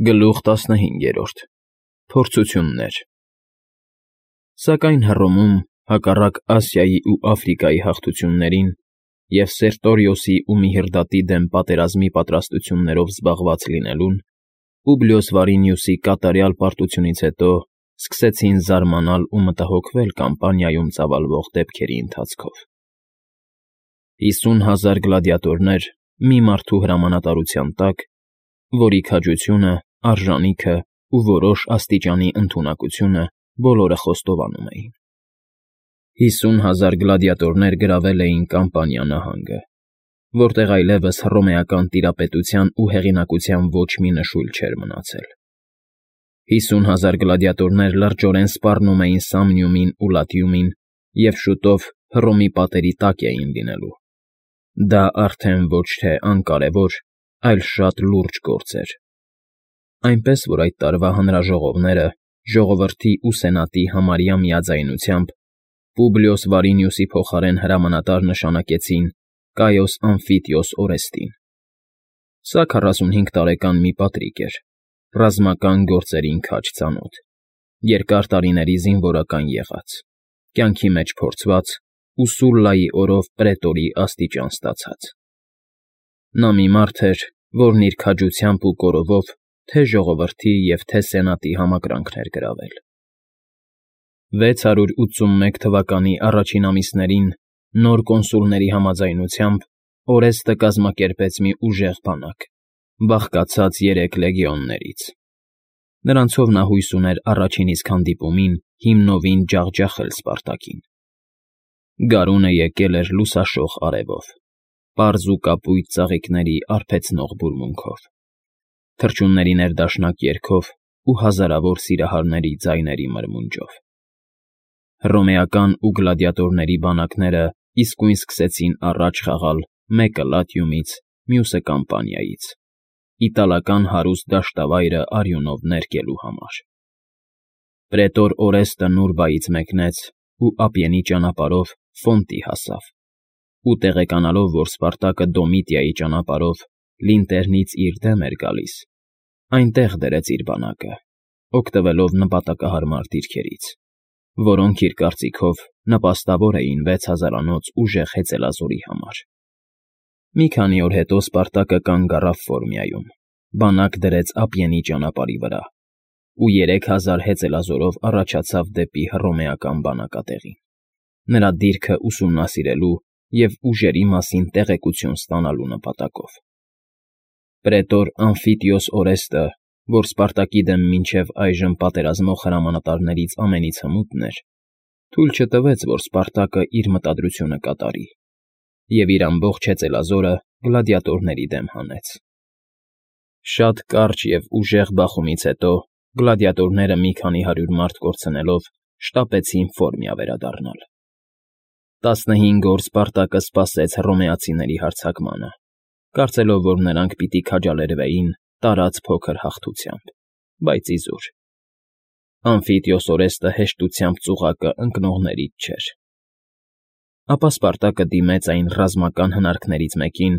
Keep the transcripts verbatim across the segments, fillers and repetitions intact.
Գլուխ տասնհինգերորդ Փորձություններ Սակայն Հռոմում, հակառակ Ասիայի ու Աֆրիկայի հաղթություններին և Սերտորիոսի ու Միհրդատի դեմ պատերազմի պատրաստություններով զբաղված լինելուն, Պուբլիոս Վարինիուսի կատարյալ պարտությունից հետո սկսեցին զարմանալ ու մտահոգվել կամպանիայում ծավալվող դեպքերի ընթացքով։ Հիսուն հազար գլադիատորներ մի մարդու հրամանատարության տակ, որի քաջությունը, արժանիքը ու որոշ աստիճանի ընդունակությունը բոլորը խոստովանում էին։ Հիսուն հազար գլադիատորներ գրավել էին Կամպանիա նահանգը, որտեղ այլևս հռոմեական տիրապետության ու հեղինակության ոչ մի նշույլ չէր մնացել։ Հիսուն հազար գլադիատորներ լրջորեն սպառնում էին Սամնիումին ու Լատիումին և շուտով Հռոմի պատերի տակ էին լինելու։ Դա արդեն ոչ թե անկարևոր, այլ շատ լուրջ գործ էր։ Այնպես որ այդ տարվա հանրաժողովները ժողովրդի ու սենատի համարյա միաձայնությամբ Պուբլիոս Վարինիուսի փոխարեն հրամանատար նշանակեցին Կայոս Ամֆիտիոս Օրեստին։ Սա քառասունհինգ տարեկան մի պատրիկ էր, ռազմական գործերին քաջ ծանոթ, երկար տարիների զինվորական եղած, կյանքի մեջ փորձված ու Սուլլայի օրով պրետորի աստիճան ստացած։ Նա մի մարդ էր, որն իր քաջությամբ ու կորովով թե ժողովրդի և թե սենատի համակրանքն էր գրավել։ վեց հարյուր ութսունմեկ թվականի առաջին ամիսներին նոր կոնսուլների համաձայնությամբ Օրեստը կազմակերպեց մի ուժեղ բանակ, բաղկացած երեք լեգիոններից։ Նրանցով նա հույս ուներ առաջին իսկ հանդիպումին հիմնովին ջախջախել Սպարտակին։ Գարունը եկել էր լուսաշող արևով, պարզ ու կապույտ ծաղիկների արբեցնող բուրմունքով, թռչունների ներդաշնակ երգով ու հազարավոր սիրահարների ձայների մրմունջով։ Հռոմեական ու գլադիատորների բանակները իսկույն սկսեցին առաջ խաղալ մեկը Լատիումից, մյուսը Կամպանիայից, իտալական հարուստ դաշտավայրը արյունով ներկելու համար։ Պրետոր Օրեստը Նուրբայից մեկնեց ու ափիենի ճանապարհով Ֆոնտի հասավ, ու տեղեկանալով, որ Սպարտակը Դոմիտիայի ճանապարհով Լինտերնից իր դեմ էր գալիս, այնտեղ դրեց իր բանակը, օգտվելով նպատակահարմար դիրքերից, որոնք, իր կարծիքով, նպաստավոր էին վեց հազարանոց ուժեղ հեծելազորի համար։ Մի քանի օր հետո Սպարտակը կանգ առավ Ֆորմիայում, բանակ դրեց ափիենի ճանապարհի վրա ու երեք հազար հեծելազորով առաջացավ դեպի հռոմեական բանակատեղին, նրա դիրքը ուսումնասիրելու և ուժերի մասին տեղեկություն ստանալու նպատակով։ Պրետոր Ամֆիտիոս Օրեստը, որ Սպարտակի դեմ մինչև այժմ պատերազմող հրամանատարներից ամենից հմուտն էր, թույլ չտվեց, որ Սպարտակը իր մտադրությունը կատարի, և իր ամբողջ հեծելազորը գլադիատորների դեմ հանեց։ Շատ կարճ և ուժեղ բախումից հետո գլադիատորները մի քանի հարյուր մարդ կորցնելով շտապեցին Ֆորմիա վերադառնալ։ Տասնհինգ օր Սպարտակը սպասեց հռոմեացիների հարձակմանը, կարծելով, որ նրանք պիտի քաջալերվեին տարած փոքր հաղթությամբ, բայց իզուր։ Ամֆիտիոս Օրեստը հեշտությամբ ծուղակը ընկնողներից չէր։ Ապա Սպարտակը դիմեց այն ռազմական հնարքներից մեկին,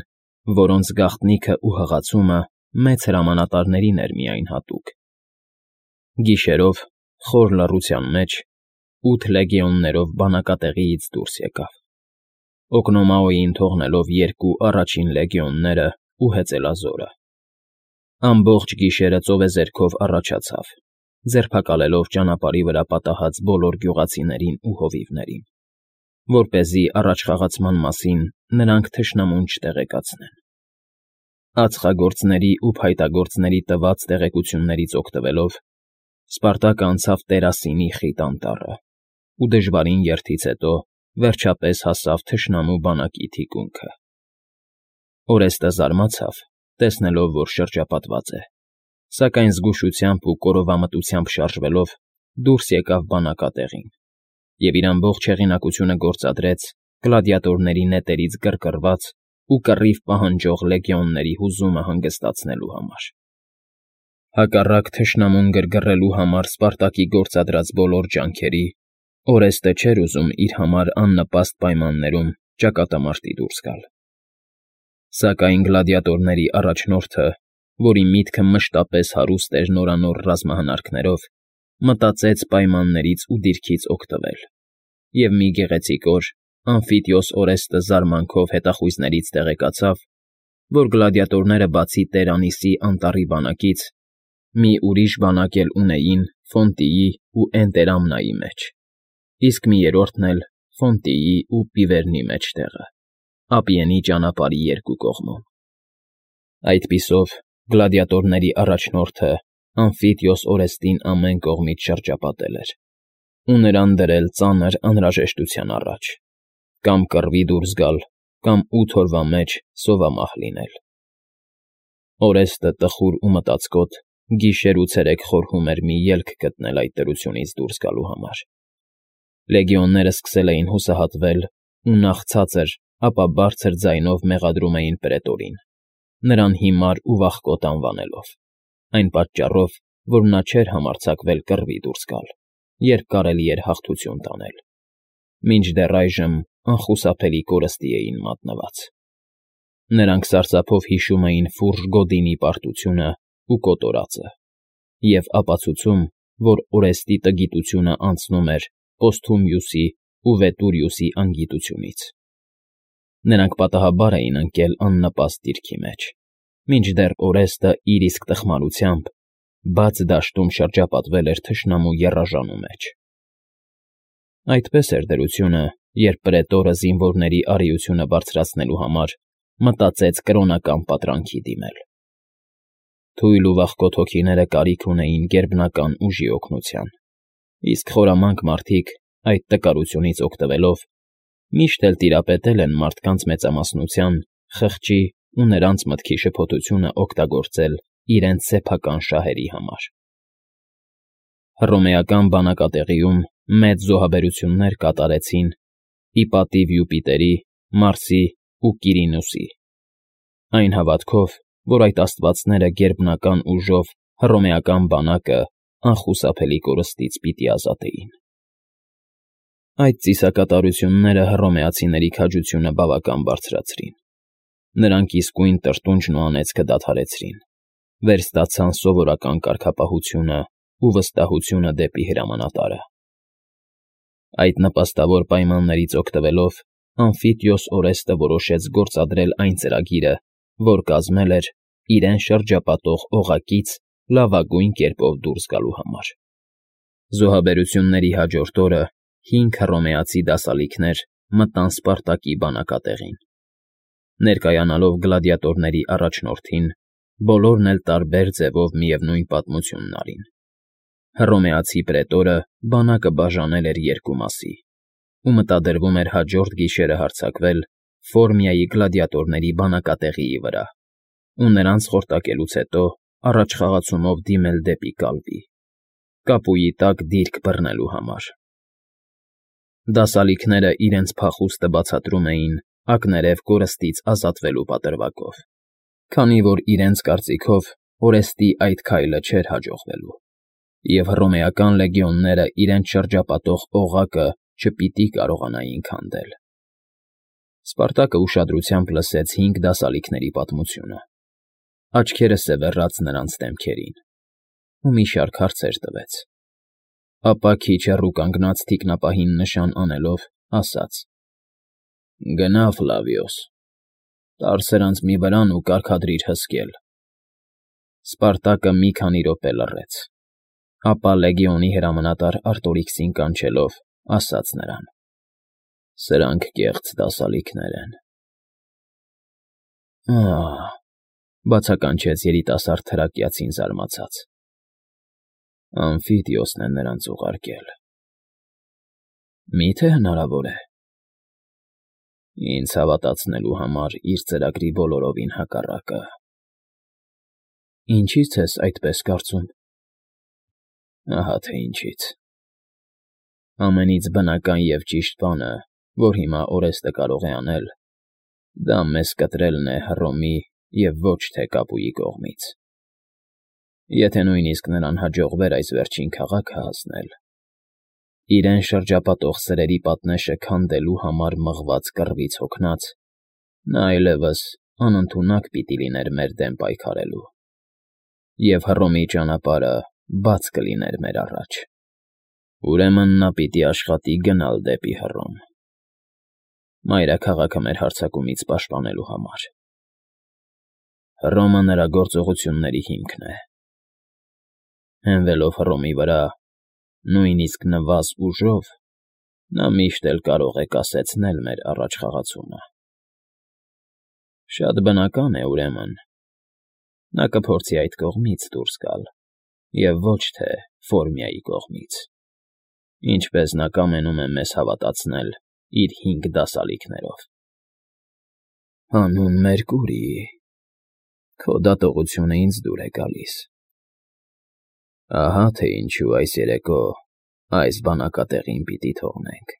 որոնց գաղտնիքը ու հղացումը մեծ հրամանատարներին էր միայն հատուկ։ Գիշերով, խոր լռության մեջ, ութ լեգիոններով բանակատեղիից դուրս եկավ, Օկնոմաոյին թողնելով երկու առաջին լեգիոնները ու հեծելազորը։ Ամբողջ գիշերը ծովեզերքով առաջացավ, ձերբակալելով ճանապարհի վրա պատահած բոլոր գյուղացիներին ու հովիվներին, որպեսզի առաջխաղացման մասին նրանք թշնամուն չտեղեկացնեն։ Ածխագործների ու փայտագործների տված տեղեկություններից օգտվելով, Սպարտակը անցավ Տերասինի խիտ անտառը ու դժվարին երթից հետո վերջապես հասավ թշնամու բանակի թիկունքը։ Օրեստը զարմացավ, տեսնելով, որ շրջապատված է, սակայն զգուշությամբ ու կորովամտությամբ շարժվելով դուրս եկավ բանակատեղին և իր ամբողջ հեղինակությունը գործադրեց գլադիատորների նետերից գրգռված ու կռիվ պահանջող լեգիոնների հուզումը հանգստացնելու համար։ Հակառակ թշնամուն գրգռելու համար Սպարտակի գործադրած բոլոր ջանքերի, Օրեստը չէր ուզում իր համար աննպաստ պայմաններում ճակատամարտի դուրս գալ։ Սակայն գլադիատորների առաջնորդը որի միտքը մշտապես հարուստ էր նորանոր ռազմահնարքներով, մտածեց պայմաններից ու դիրքից օգտվել, և մի գեղեցիկ օր Ամֆիթիոս Օրեստը զարմանքով հետախույզներից տեղեկացավ, որ գլադիատորները բացի Տերանիսի անտառի բանակից, մի ուրիշ բանակ էլ ունեին Ֆոնտիի ու Էնտերամնայի մեջ, իսկ մի երրորդն էլ Ֆոնտիի ու Պիվերնի մեջտեղը, Ափիենի ճանապարհի երկու կողմում։ Այդպիսով գլադիատորների առաջնորդը Ամֆիթիոս Օրեստին ամեն կողմից շրջապատել էր ու նրան դրել ծանր անհրաժեշտության առաջ. կամ կռվի դուրս գալ, կամ ութ օրվա մեջ սովամահ լինել։ Օրեստը տխուր ու մտածկոտ գիշեր ու ցերեկ խորհում էր մի ելք գտնել այդ դրությունից դուրս գալու համար։ Լեգիոններն սկսել էին հուսահատվել ու նախ ցածր, ապա բարձր ձայնով մեղադրում էին պրետորին, նրան հիմար ու վախկոտ անվանելով, այն պատճառով, որ նա չէր համարձակվել կռվի դուրս գալ, երբ կարելի էր հաղթություն տանել, մինչդեռ այժմ անխուսափելի կորստի էին մատնված։ Նրանք սարսափով հիշում էին ֆուրժ գոդինի պարտությունը ու կոտորածը, և ապացուցում, որ Օրեստի տգիտությունը անցնում էր Պոստհումիուսի ու Վետուրիուսի անգիտությունից։ Նրանք պատահաբար էին ընկել աննպաստ դիրքի մեջ, մինչդեռ Օրեստը իր իսկ տխմարությամբ բաց դաշտում շրջապատվել էր թշնամու եռաժանու մեջ։ Այդպես էր դրությունը, երբ պրետորը զինվորների առիությունը բարձրացնելու համար մտածեց կրոնական պատրանքի դիմել։ Թույլ ու վախկոտ հոգիները կարիք ունեին գերբնական ուժի օգնության, իսկ խորամանկ մարդիկ, այդ տկարությունից օգտվելով, միշտ էլ տիրապետել են մարդկանց մեծամասնության, խղճի ու նրանց մտքի շփոթությունը օգտագործել իրենց սեփական շահերի համար։ Հռոմեական բանակատեղիում մեծ զոհաբերություններ կատարեցին ի պատիվ Յուպիտերի, Մարսի ու Կիրինուսի, այն հավատքով, որ այդ աստվածները գերբնական ուժով հռոմեական բանակը անխուսափելի կորստից պիտի ազատեին։ Այդ ծիսակատարությունները հռոմեացիների քաջությունը բավական բարձրացրին։ Նրանք իսկույն տրտունջն ու անեծքը դադարեցրին, վերստացան սովորական կարգապահությունը ու վստահությունը դեպի հրամանատարը։ Այդ նպաստավոր պայմաններից օգտվելով Ամֆիթիոս Օրեստը որոշեց գործադրել այն ծրագիրը, որ կազմել էր իրեն շրջապատող օղակից լավագույն կերպով դուրս գալու համար։ Զոհաբերությունների հաջորդ օրը հինգ հռոմեացի դասալիքներ մտան Սպարտակի բանակատեղին։ Ներկայանալով գլադիատորների առաջնորդին, բոլորն էլ տարբեր ձևով միևնույն պատմությունն արին։ Հռոմեացի պրետորը բանակը բաժանել էր երկու մասի, ու մտադրվում էր հաջորդ գիշերը հարձակվել Ֆորմիայի գլադիատորների բանակատեղիի վրա ու նրանց խորտակելուց հետո առաջխաղացումով դիմել դեպի կալպի, կապույի տակ դիրք բռնելու համար։ Դասալիքները իրենց փախուստը բացատրում էին ակներև կորստից ազատվելու պատրվակով, քանի որ իրենց կարծիքով Օրեստի այդ քայլը չէր հաջողվելու, և հռոմեական լեգիոնները իրենց շրջապատող օղակը չպիտի կարողանային քանդել։ Սպարտակը ուշադրությամբ լսեց հինգ դասալիքների պատմությունը, աչքերը սևեռած նրանց դեմքերին, ու մի շարք հարցեր տվեց, ապա քիչ հեռու կանգնած թիկնապահին նշան անելով ասաց. «Գնա, Ֆլավիոս, տար սրանց մի վրան ու կարգադրիր հսկել»։ Սպարտակը մի քանի րոպե լռեց, ապա լեգիոնի հրամանատար Արտորիքսին կանչելով, ասաց նրան. «Սրանք կեղծ դասալիքներ են»։ «Ա՜հ,֊ բացականչեց երիտասարդ թրակիացին զարմացած,֊ Ամֆիթիոսն է նրանց ուղարկել։ Մի՞թե հնարավոր է։ Ինձ հավատացնելու համար իր ծրագրի բոլորովին հակառակը»։ «Ինչի՞ց ես այդպես կարծում»։ «Ահա թե ինչից։ Ամենից բնական և ճիշտ բանը, որ հիմա Օրեստը կարող է անել, դա մեզ կտրելն է Հռոմի և ոչ թե կապույի կողմից։ Եթե նույնիսկ նրան հաջողվեր այս վերջին քաղաքը հասնել, իրեն շրջապատող սրերի պատնեշը քանդելու համար մղված կռվից հոգնած, նա այլևս անընդունակ պիտի լիներ մեր դեմ պայքարելու։ և Հռոմի ճանապարհը բաց կլիներ մեր առաջ։ Ուրեմն նա պիտի աշխատի գնալ դեպի Հռոմ, մայրաքաղաքը մեր հարձակումից պաշտպանելու համար։ Հռոմը նրա գործողությունների հիմքն է։ Հենվելով Հռոմի վրա, նույնիսկ նվազ ուժով, նա միշտ էլ կարող է կասեցնել մեր առաջխաղացումը։ Շատ բնական է, ուրեմն, նա կփորձի այդ կողմից դուրս գալ, և ոչ թե Ֆորմիայի կողմից, ինչպես նա կամենում է մեզ հավատացնել իր հինգ դասալիքներով։ Հանուն Մերկուրի, քո դատողությունը ինձ դուր է գալիս։ Ահա թե ինչու այս երեկո այս բանակատեղին պիտի թողնենք։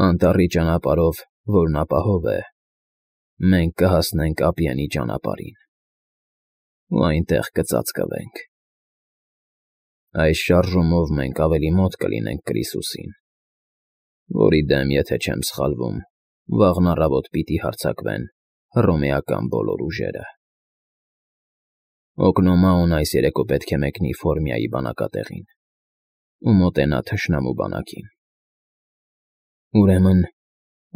Անտառի ճանապարհով, որն ապահով է, մենք կհասնենք ափիանի ճանապարհին ու այնտեղ կծածկվենք։ Այս շարժումով մենք ավելի մոտ կլինենք Կրիսուսին, որի դեմ, եթե չեմ սխալվում, վաղն առավոտ պիտի հարձակվեն հռոմեական բոլոր ուժերը։ Օկնոմաուն այս երեկո պետք է մեկնի Ֆորմիայի բանակատեղին ու մոտենա թշնամու բանակին։ Ուրեմն,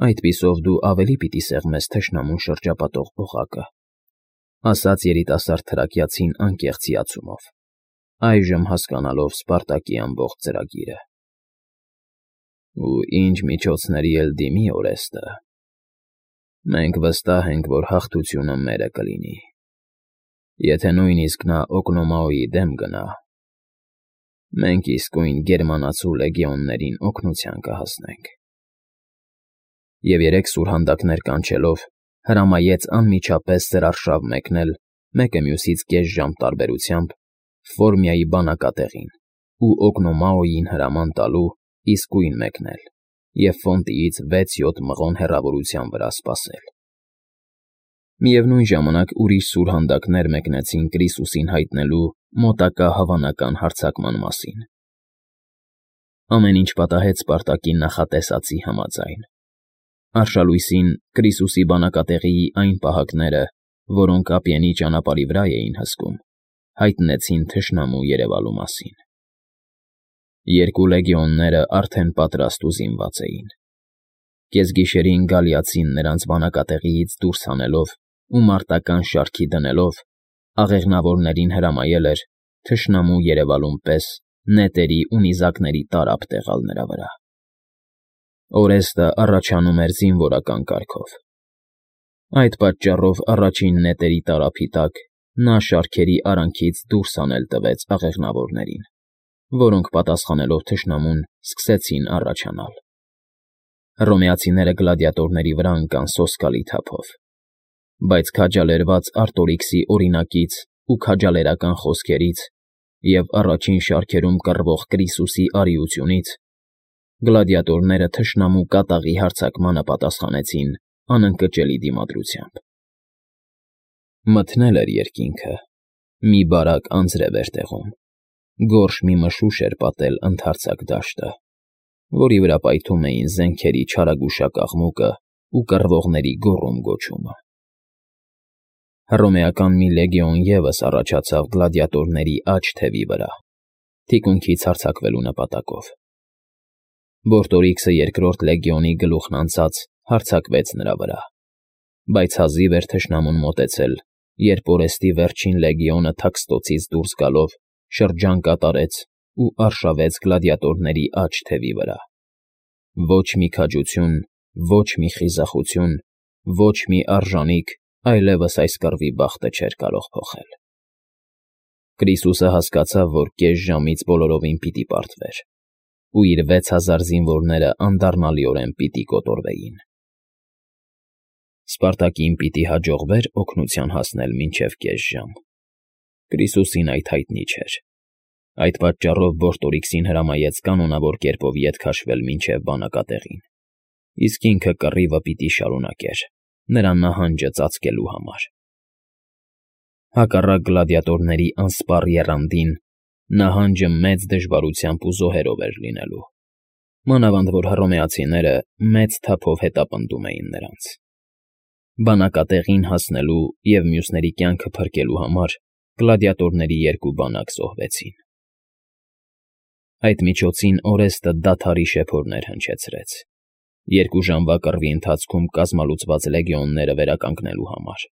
այդպիսով դու ավելի պիտի սեղմես թշնամուն շրջապատող օղակը, ասաց երիտասարդ թրակիացին անկեղծ հիացումով, այժմ հասկանալով Սպարտակի ամբողջ ծրագիրը։ Ու ինչ միջոցների էլ դիմի Օրեստը, մենք վստահ ենք, որ հաղթությունը մերը կլինի։ Եթե նույնիսկ նա Օկնոմաոյի դեմ գնա, մենք իսկույն գերմանացու լեգիոններին օգնության կհասնենք։ Եվ երեք սուրհանդակներ կանչելով, հրամայեց անմիջապես սրարշավ մեկնել, մեկը մյուսից կես ժամ տարբերությամբ, Ֆորմիայի բանակատեղին ու Օկնոմաոյին հրաման տալու իսկույն մեկնել և Ֆոնտիից վեց֊յոթ մղոն հեռավորության վրա սպասել։ Միևնույն ժամանակ ուրիշ սուրհանդակներ մեկնեցին Կրիսուսին հայտնելու մոտակա հավանական հարձակման մասին։ Ամեն ինչ պատահեց Սպարտակի նախատեսածի համաձայն։ Արշալույսին Կրիսուսի բանակատեղիի այն պահակները, որոնք ափիանի ճանապարհի վրա էին հսկում, հայտնեցին թշնամու երևալու մասին։ Երկու լեգիոնները արդեն պատրաստ ու զինված էին։ Կեսգիշերին գալիացին նրանց բանակատեղիից դուրս հանելով ու մարտական շարքի դնելով, աղեղնավորներին հրամայել էր, թշնամու երևալուն պես, նետերի ու նիզակների տարափ տեղալ նրա վրա։ Օրեստը առաջանում էր զինվորական կարգով։ Այդ պատճառով առաջին նետերի տարափի տակ նա շարքերի արանքից դուրս հանել տվեց աղեղնավորներին, որոնք պատասխանելով թշնամուն սկսեցին առաջանալ։ Հռոմեացիները գլադիատորների վրա ընկան սոսկալի թափով, բայց քաջալերված Արտորիքսի օրինակից ու քաջալերական խոսքերից և առաջին շարքերում կռվող Կրիսուսի արիությունից, գլադիատորները թշնամու կատաղի հարձակմանը պատասխանեցին անընկճելի դիմադրությամբ։ Մթնել էր երկինքը, մի բարակ անձրև էր տեղում, գորշ մի մշուշ էր պատել ընդարձակ դաշտը, որի վրա պայթում էին զենքերի չարագուշակ աղմուկը ու կռվողների գոռում֊գոչումը։ Հռոմեական մի լեգիոն ևս առաջացավ գլադիատորների աջ թևի վրա, թիկունքից հարձակվելու նպատակով։ Բորտորիքսը երկրորդ լեգիոնի գլուխն անցած հարձակվեց նրա վրա, բայց հազիվ էր թշնամուն մոտեցել, երբ Օրեստի վերջին լեգիոնը Թաքստոցից դուրս գալով շրջան կատարեց ու արշավեց գլադիատորների աջ թևի վրա։ Ոչ մի քաջություն, ոչ մի խիզախություն, ոչ մի արժանիք այլևս այս կռվի բախտը չէր կարող փոխել։ Կրիսուսը հասկացավ, որ կես ժամից բոլորովին պիտի պարտվեր, ու իր վեց հազար զինվորները անդառնալիորեն պիտի կոտորվեին։ Սպարտակին պիտի հաջողվեր օգնության հասնել մինչև կես ժամ։ Կրիսուսին այդ հայտնի չէր։ Այդ պատճառով Բորտորիքսին հրամայեց կանոնավոր կերպով ետ քաշվել մինչև բանակատեղին, իսկ ինքը կռիվը պիտի շարունակեր, նրա նահանջը ծածկելու համար։ Հակառակ գլադիատորների անսպառ եռանդին, նահանջը մեծ դժվարությամբ ու զոհերով էր լինելու, մանավանդ որ հռոմեացիները մեծ թափով հետապնդում էին նրանց։ Բանակատեղին հասնելու և մյուսների կյանքը փրկելու համար գլադիատորների երկու բանակ զոհվեցին։ Այդ միջոցին Օրեստը դադարի շեփորներ հնչեցրեց, երկու ժամվա կռվի ընթացքում կազմալուծված լեգիոնները վերականգնելու համար։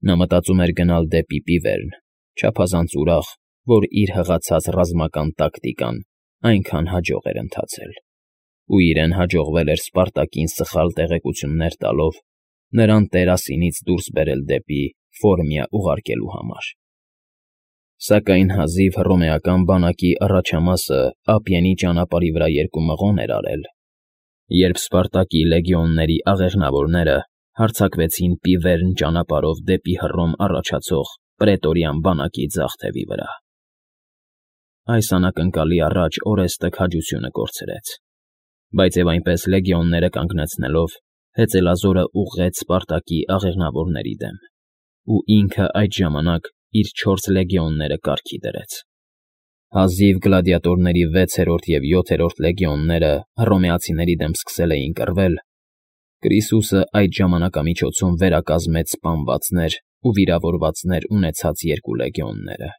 Նա մտածում էր գնալ դեպի Պիվերն, չափազանց ուրախ, որ իր հղացած ռազմական տակտիկան այնքան հաջող էր ընթացել, ու իրեն հաջողվել էր Սպարտակին սխալ տեղեկություններ տալով նրան տերասինից դուրս բերել դեպի Ֆորմիա ուղարկելու համար։ Սակայն հազիվ հռոմեական բանակի առաջամասը Ափիենի ճանապարհի վրա երկու մղոն էր արել, երբ Սպարտակի լեգիոնների աղեղնավորները հարձակվեցին Պիվերն ճանապարհով դեպի Հռոմ առաջացող պրետորիան բանակի ձախ թևի վրա։ Այս անակնկալի առաջ Օրեստը քաջությունը կորցրեց, բայց և այնպես լեգիոնները կանգնեցնելով հեծելազորը ուղղեց Սպարտակի աղեղնավորների դեմ, ու ինքը այդ ժամանակ իր չորս լեգիոնները կարգի դրեց։ Հազիվ գլադիատորների վեցերորդ և յոթերորդ լեգիոնները հռոմեացիների դեմ սկսել էին կռվել, Կրիսուսը այդ ժամանակամիջոցում վերակազմեց սպանվածներ ու վիրավորվածներ ունեցած երկու լեգիոնները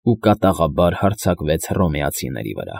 ու կատաղաբար հարձակվեց հռոմեացիների վրա։